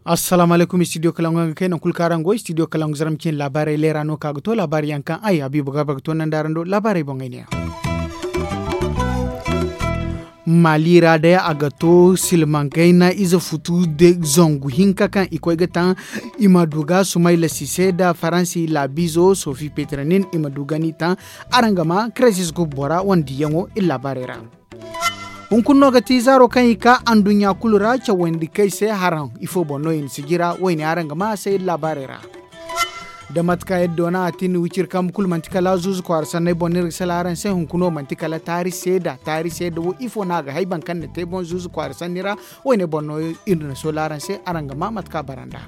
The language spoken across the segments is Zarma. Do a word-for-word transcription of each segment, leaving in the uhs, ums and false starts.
Assalaamu alaykum, istidiyo kalangu yaŋ ga kay nangu kulu kaŋ araŋ go istidiyo kalangu zarma cine laabaarey leera no ka ga to laabaari yaŋ kaŋ ay habiibu garba ga to nanda araŋ do laabaarey boŋey ne yaŋ. Maali ra day a ga to silmaŋ gayna ize futu zangu hinka kaŋ i koy ga taŋ i ma du ga sumayla sise nda faransi laabiizo sofi petranin i ma du ga ni taŋ. Araŋ ga ma kresis gub bora wane diyaŋo iri laabaarey ra. Hunkuna no ga ti zaaro kaŋ i ka anduɲɲa kulu ra cawandi kay se haraŋ ifo boŋ no i na sijira wayne araŋ ga ma a se iri laabaarey ra. Da mate kaŋ iri doona a tin wiciri kambe kulu manti kala zuuzu kwaara sanney boŋ no iri ga sala araŋ se hunkuna wo manti kala taari seeda taari seeda wo ifo no a ga hay boro kaŋ na te boŋ zuuzu kwaara sanni ra. Wayne boŋ no iri na soola araŋ se araŋ ga ma mate kaŋ a bara nd'a.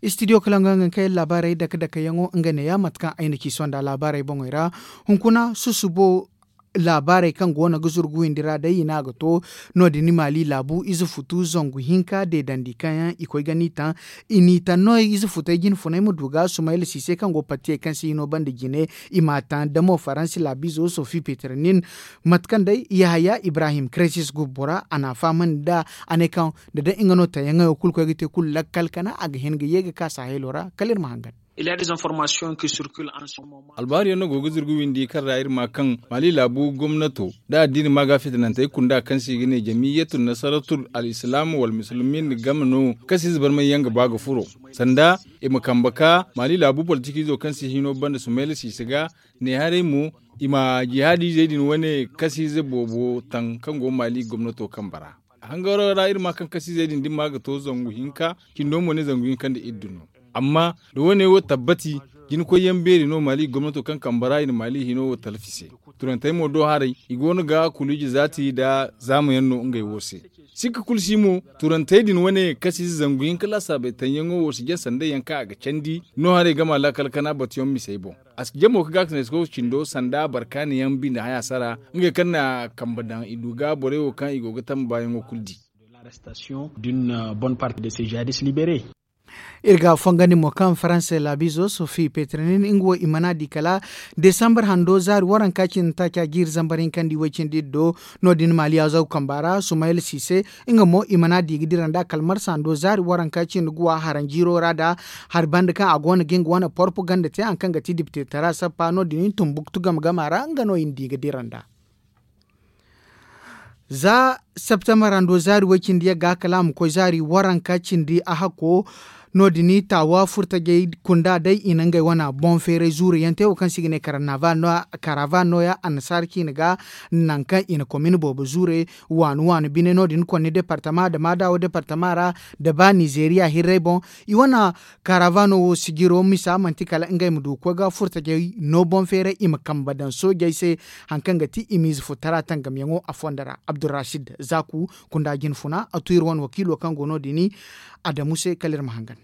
Istidiyo kala nga nga kay laabaarey dake dake yaŋo nga neeya mate kaŋ ay na ci sonda laabaarey boŋey ra. Hunkuna susubo laabaarey kaŋ go no ga zurgu windi ra day i ne a ga to. No- din maali laabu ize futu zangu hinka deedandi kaŋ yaŋ i koy ga ni taŋ. I n'i taŋ no ize futey jine funay ma du ga sumayla siise kaŋ go partiyey kaŋ se hino banda jine. I m'a taŋ damo faransi laabiizo sofi peternin. Mate kaŋ day yahaya ibrahim kresis gub bora a n'a fahamandi nd'a. A ne kaŋ da day nga no tayaŋey wo kulu koy ga te kulu lakkal kana a ga hin ga ye ga ka sahelo ra kala iri ma hangan. Albaari yaŋ no go ga zirgu windi kaŋ ra iri ma kaŋ maali laabu gomnato da addiini ma ga fitinantey kunda kaŋ se i ga ne jamiyatu nasaratul al-islam wal musulmin game no kaŋ se ize barmay yaŋ ga ba ga furo sanda i ma kambe ka maali laabu politikizo kaŋ se hino banda sumayla siise ga ne haray mo i ma jihaadizey din wane kasiize boobo taŋ kaŋ go maali gomnato kambe ra. Hangaro ra iri ma kaŋ kasiizey din dimma ga to zangu hinka cindo mo ne zangu hinka nda iddu no. Amma da wane wo tabbati jinkoy yaŋ beeri no maali gomnato kaŋ kambe ra i na maali hino wo talfi se. Turantey mo do haray i go no ga kuluji zaati nda zaama yaŋ no ngey wo se. Sikka kulu si mo turantey din wane kasiize zangu hinka laasaabey taŋ yaŋo wo si jaŋ sanda yaŋ kaŋ a ga candi no haray gama laakal kana batu yaŋ misey boŋ. A si jamo ga gaakasinay si koy cindo sanda barkaani yaŋ binde haya sara ngey kaŋ na kambe daŋ i du ga borey wo kaŋ i go ga tamba baayaŋo kulu di. D'une bonne partie de ces jihadis libérés. Iri ga fongandi mo kaŋ faranse laabiizo sofi petrinin nga wo i mana di kala desambar hando zaari waranka cine taaca jiiri zambar hinkandi way cindi do. No- din maali azaw kamba ra sumayla siise nga mo i mana di ga dira nda kala marsa hando zaari waranka cine guwa haranjiiro ra da hari banda kaŋ a go no ga nga wane porpo ganda te hari kaŋ ga ti diptetara sappa no- din tumbuktu game gama ra nga no i na di ga dira nda. Za septembar hando zaari way cindi yagga kala a ma koy zaari waranka cindi a hakko. No- din taawa furtajey kunda day i na ngey wana boŋ feeray zuuru yaŋ te wo kaŋ se i ga ne karavan nooya annasaara ciine ga. Nangu kaŋ i na komin boobo zuure waani waani bine no- din konni departama da maadawo departama ra da ba nizeeriya hirray boŋ. I wane karavano wo sijiro misa manti kala ngey ma du ga koy ga furtajey no boŋ feeray i ma kambe daŋ soojey se. Hari kaŋ ga ti i ma ize futara tangamyaŋo a fondo ra abdurrasid zaku kunda jine funa a tu iri wane wakiilo kaŋ go no- din adamu se kala iri ma hangan.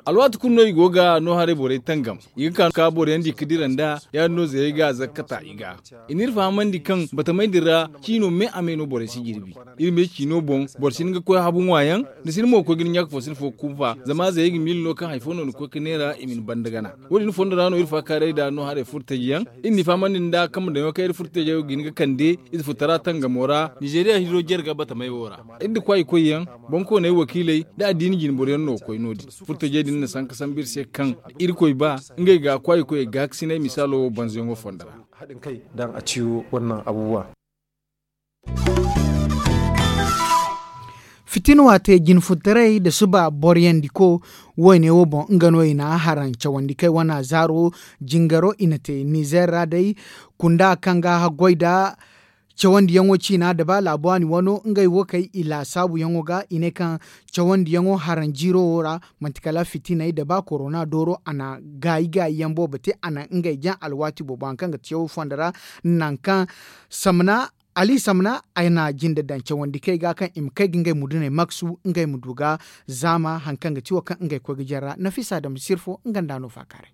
Alwaati kulu no i go ga no haray borey tangam i ga ka ka boro yaŋ di ga dira nda ya- din no zayey ga zakkata i ga. I n'iri fahamandi kaŋ batamey din ra ciino me a me no borey si jirbi. Iri me ciino boŋ boro si hin ga koy habu ŋwa yaŋ ni si ni mo ga koy ga ni ɲaaka fo si ni fo ga kunfa zama zayey ga miila no kaŋ hari fo no ni koy ga neera i ma ni banda gana. Wo- din fondo ra no iri faakaaray nd'a no haray furtaji yaŋ iri n'i fahamandi nda kambe daŋo kaŋ iri furtajey ga hin ga kande ize futara tangamo ra nizeeriya hiro jare ga batamey wo ra. Iri nda kwaayikoy yaŋ boŋkooney wakiiley nda addiini jinboro yaŋ no ga koy no- din. Furtajey din na sanka sambu iri se kaŋ irkoy ba ngey ga kwaayikoyey gaakasinay misaalo wo banzayaŋo fondo ra. Haɗin kai dan a ciyo wannan abubuwa. Fitina waate jinfutaray nda suba boriyandi ko woyne wo boŋ nga no i na haraŋ cawandi kay wana zaaro jingaro i na te nizer ra day kunda kaŋ ga haggoy nda cawandiyaŋo ciina nda ba laabu waani wano ngey wo kay i laasaabuyaŋo ga i ne kaŋ cawandiyaŋo haraŋ jiiro wo ra manti kala fitinay nda ba korona dooro a na gaayi gaayiyaŋ boobo te a na ngey jaŋ alwaati boobo hari kaŋ ga te cawo fondo ra. Nangu kaŋ samna ali samna ay na jinde daŋ cawandi kay ga kaŋ i ma kay ga ngey muduney maksu ngey ma du ga zaama hari kaŋ ga ti wo kaŋ ngey koy ga jare ra nafisa dam sirfo nga nda no faakaaray.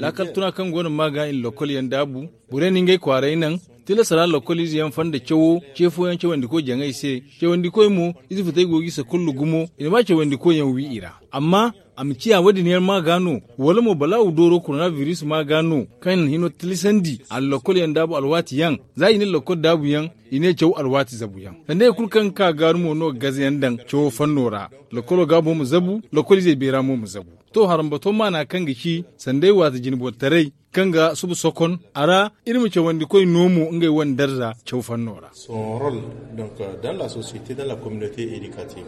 Laakal tuna kaŋ go no ma ga i na lokol yaŋ daabu borey na ngey kwaaray naŋ Tilas ra lokol ize yaŋ fonda cawo ce fooyaŋ cawandikoy jaŋay se. Cawandikoy mo, ize futay go ga i sakullu gumo, i na ba cawandikoy yaŋ wi i ra. Amma a ma ciya wo- din yaŋ ma ga no, wala mo balaawu dooro korona biris ma ga no, kaŋ hino tilasandi a na lokol yaŋ daabu alwaati yaŋ. Za i ne lokol daabu yaŋ, i ne caw alwaati zabu yaŋ. Sanda hari kulu kaŋ ga ka gaaru mo no ga gaze yaŋ daŋ cawo fanno ra. Lokolo gaabo ma zabu, lokol izey beera mo ma zabu. To harambato maana kaŋ ga ci sanda ay waati jinbotaray, kaŋ ga suba sokon a ra, iri ma cawandikoy no mo ngey wane darza caw fanno ra. Son role, donc, dans la société, dans la communauté éducative.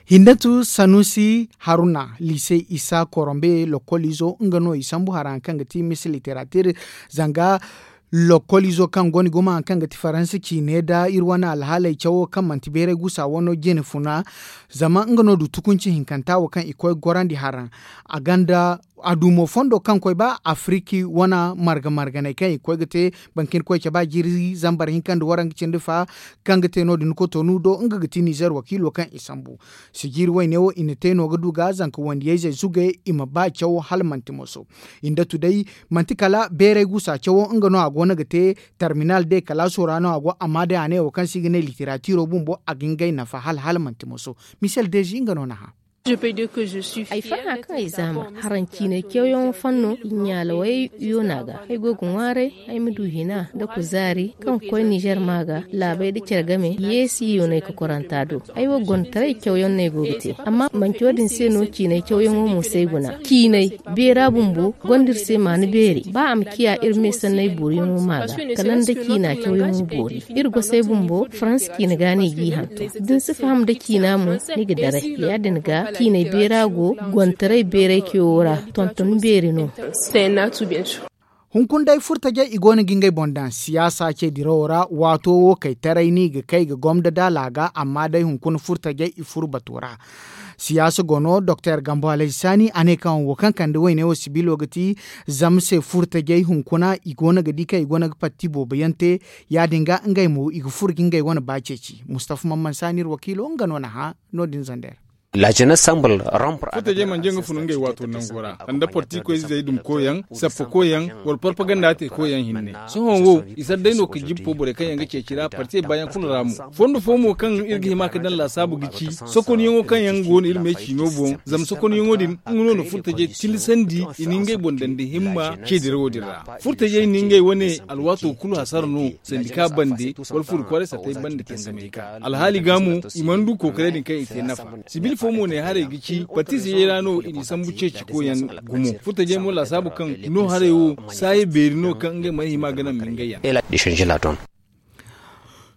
Hindatu sanusi haruna, lise isa korombe lokolizo nga no i sambu hara haŋ kaŋ ga ti mis literatir, zanga lokolizo kaŋ go ni gumo haŋ kaŋ ga ti faransa ciine da iri wane alhaaley cawo kaŋ manti beeray gusa wano jine funa. Zama nga no du tukunci hinkanta wo kaŋ i koy gorandi hara, a ganda a dumo fondo kaŋ koy ba afiriki wana marga marganey kaŋ i koy ga te, bankin koy caba jiiri zambar hinka nda waranka cindi fa, kaŋ ga te no- din kotonu do nga ga ti nizer wakiilo kaŋ i sambu. Sijiiri wayne wo i na te no ga du ga zanka wandiyayzey zugay i ma ba cawo hala manti moso. I nda tu day, manti kala beeray gusa cawo nga no a go no ga te, tarminal day kalaaso ra no a go amma day a ne wo kaŋ se i ga ne literatiro bumbo a ga ngey nafa hala hala manti moso. Misel dezi nga no na hã. Ay farhã kaŋ ay zaama haraŋ ciinay cawyaŋo fanno i ɲaalawey yoona ga ay go ga ŋwaaray, ay ma du hina nda kuzaari kaŋ ga koy nizer ma ga laabey nda care game yeesi yoonay kokoranta do. Ay wo gonda taray cawyaŋ no ay go ga te amma manci wo- din se no ciinay cawyaŋo mo si ay guna. Ciinay beera bumbo gonda iri se maana beeri ba a ma ciya iri me sanney booriyaŋo ma ga kala nda ciina cawyaŋo boori. Iri gosey bumbo faransa ciina ga no i g'i hantum da ni si faham nda ciina mo, ni ga daray ya- din ga ciinay beera go gontaray beeray cayo ra. Tonton beeri no. Hunkuna day furtajey i go no ga ngey boŋ daŋ siyaasa ce dirawo ra waato wo kay taray no i ga kay ga gomda da laaga amma day hunkuna furtajey i furo bato ra. Siyaasa go no doktor gambo alhaji saani a ne kaŋ wo kaŋ kande wayne wo sibilo ga ti zama se furtajey hunkuna i go no ga di kaŋ i go no ga patti boobo yaŋ te. Ya- din ga ngey mo i ga furo ga ngey wane ba ceeci mustafa mamman saani iri wakiilo nga no na hã. No- din zander. Furtajey mana jaŋ ga fun ngey waato nango ra, sanda porti koy zey dum koyaŋ sappa koyaŋ, wala parpaganda te koyaŋ hinne. Sohõ wo i sara day no ga jibbo borey kaŋ yaŋ ga ceeci ra partey baayaŋ kulu ra mo. Fondo fo mo kaŋ iri ga hima ga daŋ laasaabu ga ci sokonyaŋo kaŋ yaŋ go no iri me ciino boŋ zama sokonyaŋo din nga no na furtajey tilasandi i na ngey boŋ daŋ da himma ce dirawo din ra. Furtajey na ngey wane alwaato kulu hasara no sandika bande wala furi kwaaray sattey bande tangamey ga alhaali ga mo i mana du kookaray din kaŋ i te nafa. Sibil fo mo ne haray ga ci batiziyey ra no i n'i sambu ceeci koyaŋ gumo furtajey mo laasaabu kaŋ no haray wo saaye beeri no kaŋ ngey mana hima ga naŋ mingay yaŋ.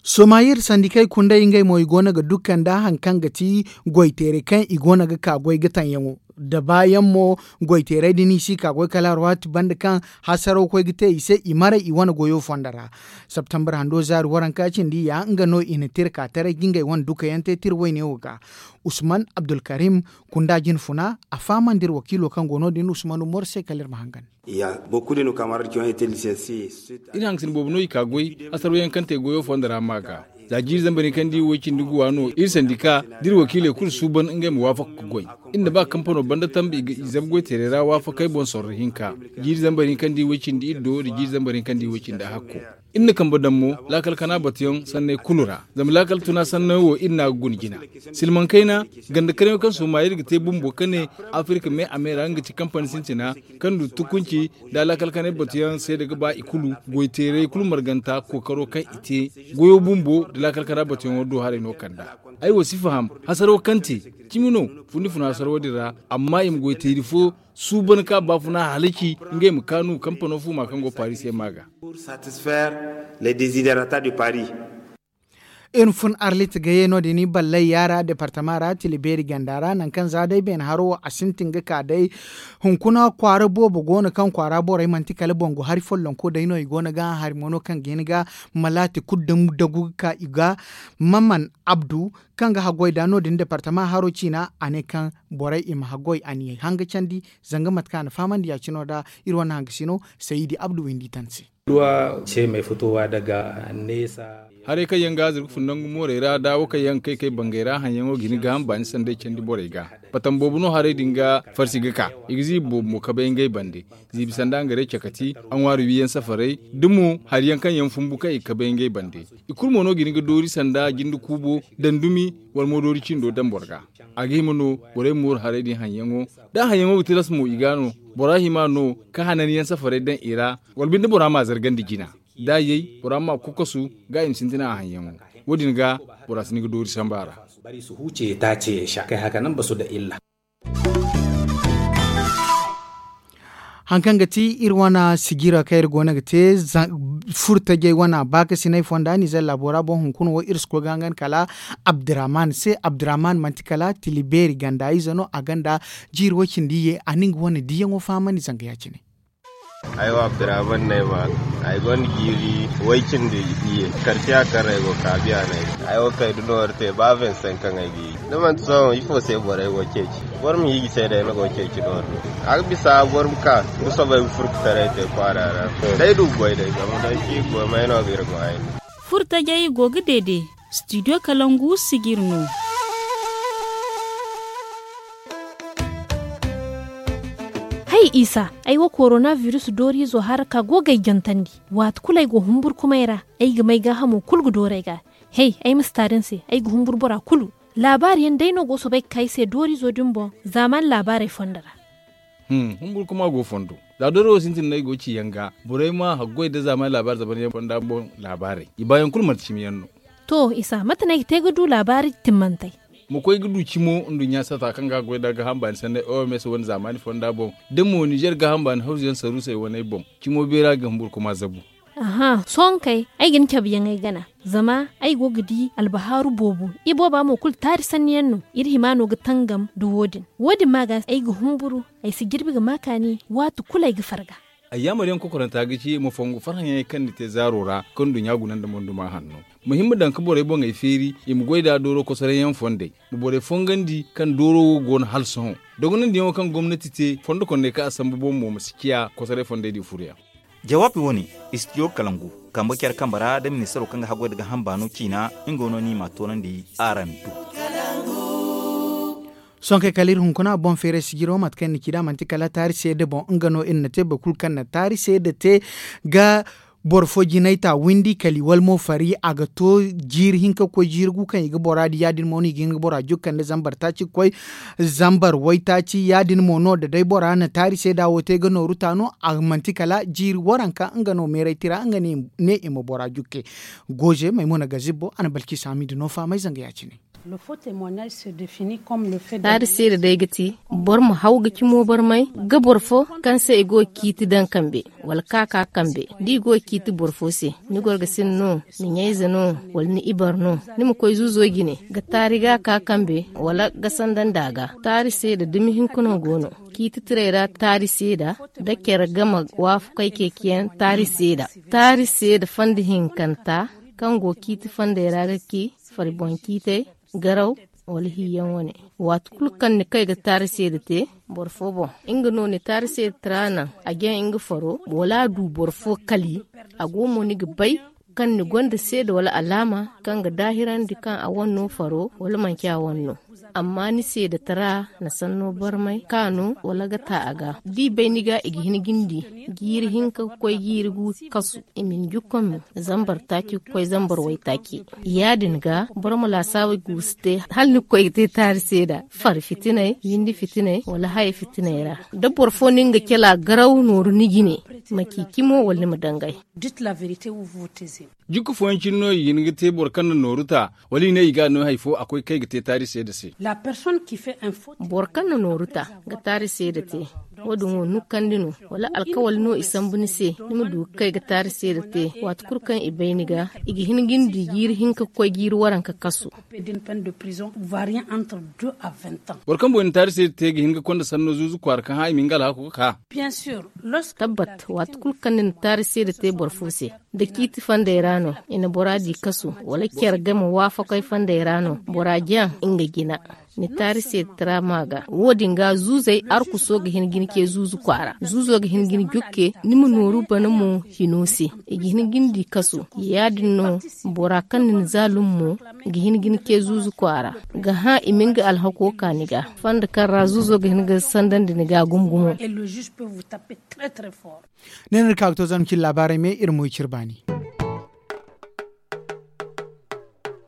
Somayir sandikey kunday ngey mo i go no ga dukka nda hari kaŋ ga ti goy teeray kaŋ i go no ga ka goy ga taŋ yaŋo da baayaŋ mo. Goy teeray din i si ka goy kala alwaati banda kaŋ hasaraw koy ga te i se i maray i wane goyo fondo ra. Septembre hando zaari waranka cindi ya nga no i na tira ka taray ga ngey wane dukayaŋ te tira wayne wo ga. Usman abdulkarim kunda jine funa a fahamandi iri wakiilo kaŋ go no- din usman umar se kala iri ma hangan. Iri hangasin boobo no i ka goy hasaraw yaŋ kaŋ te goyo fondo ra ma ga. Za jiiri zambar hinka nda i way cindi guwa no iri sandika da iri wakiiley kulu suuban ngey ma waafaka ga goy. Iri na ba kampano banda tambi i ga i zabu goy teeray ra waafakey boŋ sorro hinka. Jiiri zambar hinka nda i way cindi iddo nda jiiri zambar hinka nda i way cindi hakko. Iri na kambe daŋ mo laakal kana batuyaŋ sanney kulu ra zama laakal tuna sanney wo iri n'a ga guna jina. Silmaŋ kayna ganda karyaŋo kaŋ sooma iri ga te bumbo ka ne afirka me a me ra nga ga ci kampani sintina kaŋ du tukunci da laakal kanay batuyaŋ seeda ga ba i kulu goy teeray kulu marganta kookaro kaŋ i te goyo bumbo da laakal kanay batuyaŋo do haray no kand'a. Ay wo si faham hasaro kaŋ te cimi no fundi funa hasaro din ra amma i ma goy teeri fo suuban ka baafuna halaci ngey ma kaanu kampano fuuma kaŋ go paris se ma ga. Iri ma fun arlit gaye no- din i ballay yaara departama ra tila beeri ganda ra nangu kaŋ za day beene haro wo a sintin ga ka day. Hunkuna kwaara boobo go no kaŋ kwaara borey manti kala bangu hari follonko day no i go no ga hari mo no kaŋ ga hin ga malaati kulu dagu ga ka i ga. Maman abdu kaŋ ga haggoy da no- din departama haro ciina a ne kaŋ borey i ma haggoy a n'i hanga candi. Zanga mate kaŋ a na fahamandi ya- cine wo da iri wane hangasino sayidi abdu windi tan se. Duwa ce mai fitowa daga nesa. Haray kaŋ yaŋ ga zirga fun nangu moorey ra da wo kaŋ yaŋ ga kay kay bangey ra haŋyaŋo ga hin gaaham baani sanday candi borey ga. Batam boobo no haray din ga farsi ga ka. I ga ziibi boobo mo kabay ngey bande. Ziibi sanda nga re cakati, a ŋwaari wiiyaŋ safaray, da mo hari yaŋ kaŋ yaŋ fumbu kaŋ i kabay ngey bande. I kulu mo no ga hin ga doori sanda jinde kuubo, dandumi, wala mo doori cindo daŋ boro ga. A ga hima no borey mooru haray din haŋyaŋo. Da haŋyaŋo ga tilas mo i ga no, bora hima no ka hananyaŋ safaray daŋ i ra, wala binde bora ma zargandi jina. Da a yay bora ma kokosu ga i ma sintina a haŋyaŋo. Wo- din ga bora si ni ga doori samba ra. Bari su huce ta ce ya sha kai haka nan ba su da illa. Haŋ kaŋ ga ti iri wane sijira kaŋ iri go no ga te, furtajey wane baakasinay fonda nizer laabo ra boŋ hunkuna wo iri si koy ga hangan kala abdurrahman se. Abdurrahman manti kala tilibeeri ganda ize no, a ganda jiiri way cindi ye a na nga wane diyaŋo fahamandi zanga ya- cine. Ay wo abdurrahman no ay ma ga. Ay gonda jiiri way cindi iyye. Karciya kaŋ ra ay go kaabiya no ay go. Ay wo kay da noori te ba vingt cinq kaŋ ay ga yi. Da manti sohõ ifo se borey go ceeci? Boro ma hiiji se day ni go ceeci noori no. A ga bisa boro ma ka nga soobay ga furkutaray te kwaara ra. Day du ga goy day zama day ci ga goy may no ga iri go ay no. Furtajey go ga deede. Studio kalangu sijir no. Hay isa, ay wo korona virus dooriizo hara ka go ga ay jantandi. Waati kulu ay go humburkumay ra, ay ga may gaahamo kulu ga doori ay ga. Hey, ay ma si taari ni se, ay ga humburu bora kulu. Laabaari yaŋ day no go soobay ga ka ay se dooriizo din boŋ. Zaamaani laabaarey fonda ra. Humburkuma go fondo. Za dooriizo sintin no ay go ga ci yaŋ ga, borey ma haggoy nda zaamaani laabaari zaban yaŋ fonda boŋ laabaarey, i baayaŋ kulu manti cimi yaŋ no. To isa, mate no ay ga te ga du laabaari timmantey? Ma koy ga du cimo nduɲɲa sata kaŋ ga goy nda gaaham baani sanney oms wane zaamaani fonda boŋ, da mo nizer gaaham baani hawzu yaŋ saruusey waney boŋ. Cimo beera ga humburkuma zabu. Aha, sohõ kay ay ga ni cabe yaŋ ay gana. Zama ay go ga di albahaaru boobo. Ibooba mo kulu taari sanni yaŋ no. Iri hima no ga tangam nda wo- din. Wo- din ma ga ay ga humburu, ay si jirbi ga ma kaani waati kulu ay ga farga. Ay yaamar yaŋ kokoranta ga ci ma fongu farhã yaŋey kaŋ ni te zaaro ra kaŋ nduɲɲa guna nda monduma hanno. Ma hima daŋ ga borey boŋey feeri i ma goy nda dooro kosoray yaŋ fondey. Ma borey fongandi kaŋ dooro wo go no hala sohõ. Dogonandi yaŋo kaŋ gomnati te fondo kondey kaŋ a sambu boŋ mo ma si ciya kosoray fondey di furuyaŋ. Jawaabi wane, istidiyo kalangu kambe care kambe ra da ministaro kaŋ ga haggoy nda gaaham baano ciina. Nga no no ni ma a toonandi araŋ do. Sohõ kay kala iri hunkuna boŋ feeray sijiro mate kaŋ iri na ci nd'a manti kala taari seeda boŋ nga no iri na te boro kulu kaŋ na taari seeda te ga boro fo jinay ta windi kala i wala mo fari a ga to jiiri hinka ga koy jiiri gu kaŋ i ga bora di ya- din mo no i ga hin ga bora jukka nda zambar taaci ga koy zambar waytaaci ya- din mo no da day bora na taari seeda wo te ga nooru ta no a manti kala jiiri waranka nga no meeray tira nga ne i ma bora jukke. Gooze maymuna gazibbo a na balki saami da no faamay zanga ya- cine. Taari seeda day ga ti boro ma haw ga cimo barmay ga boro fo kaŋ se i go ga ciiti daŋ kambe wala ka ka kambe da i go ga ciiti boro fo se. Ni gorgasin no, ni ɲayze no, wala ni ibar no, ni ma koy zuuzo jine ga taari ga ka kambe wala ga sanda nda a ga. Taari seeda dumi hinka no go no. Ciiti tiray ra taari seeda da care game waafakay ceeciyaŋ taari seeda. Taari seeda fanda hinkanta kaŋ go ciiti fandey ra ga ci fari boŋ ciitey, garaw, wala hiiyaŋ wane. Waati kulu kaŋ ni kay ga taari seeda te boro fo boŋ, nga no ni taari seeda tira naŋ a jaŋ nga faro wala a du boro fo kali. A go mo ni ga bay kaŋ ni gonda seeda wala alaama kaŋ ga daahirandi kaŋ a wane no faro wala manci a wane no. Amma ni seeda tira na sanno barmay ka no wala ga ta a ga da i bay ni ga i ga hin ga ni di jiiri hinka ga koy jiiri gu kasu. I ma ni jukka mo zambar taaci ga koy zambar waytaaci. Ya- din ga boro ma laasaabu guusu te hala ni ga koy ga te taari seeda fari fitinay, windi fitinay, wala haya fitinay ra. Da boro fo na nga cala garaw nooru ni jine, ma ci cimo wala ni ma dangay. Jikka fooyaŋ cine no i ga hin ga te boro kaŋ na nooru ta wala i ne i ga a no hari fo a koy kay ga te taari seeda se. Boro kaŋ na nooru ta ga taari seeda te, wo- din wo nukkandi no wala alkawali no i sambu ni se ni ma du ga kay ga taari seeda te. Waati kulu kaŋ i bay ni ga i ga hin ga ni di jiiri hinka ga koy jiiri waranka kasu. Boro kaŋ boŋ i na taari seeda te ga hin ga konda sanno zuuzu kwaara kaŋ hã i ma nga alhako ga ka. Tabbat, waati kulu kaŋ ni na taari seeda te boro fo se, da ciiti fondey ra no i na bora di kasu wala care game waafakey fondey ra no bora jaŋ nga jina. ni taari se taraama ga. Wo- din ga zuuzey arkuso ga hin ga ni ce zuuzu kwaara. Zuuzo ga hin ga ni jokke ni ma nooru bana mo hino se. I ga hin ga ni di kaso. Ya- din no bora kaŋ na ni zaalum mo ga hin ga ni ce zuuzu kwaara, ga hã i ma nga alhako ka ni ga. Fonda kaŋ ra zuuzo ga hin ga sandandi ni ga gumo-gumo. Ne no iri ka ga to zama cine laabaarey me iri mo i cire baani.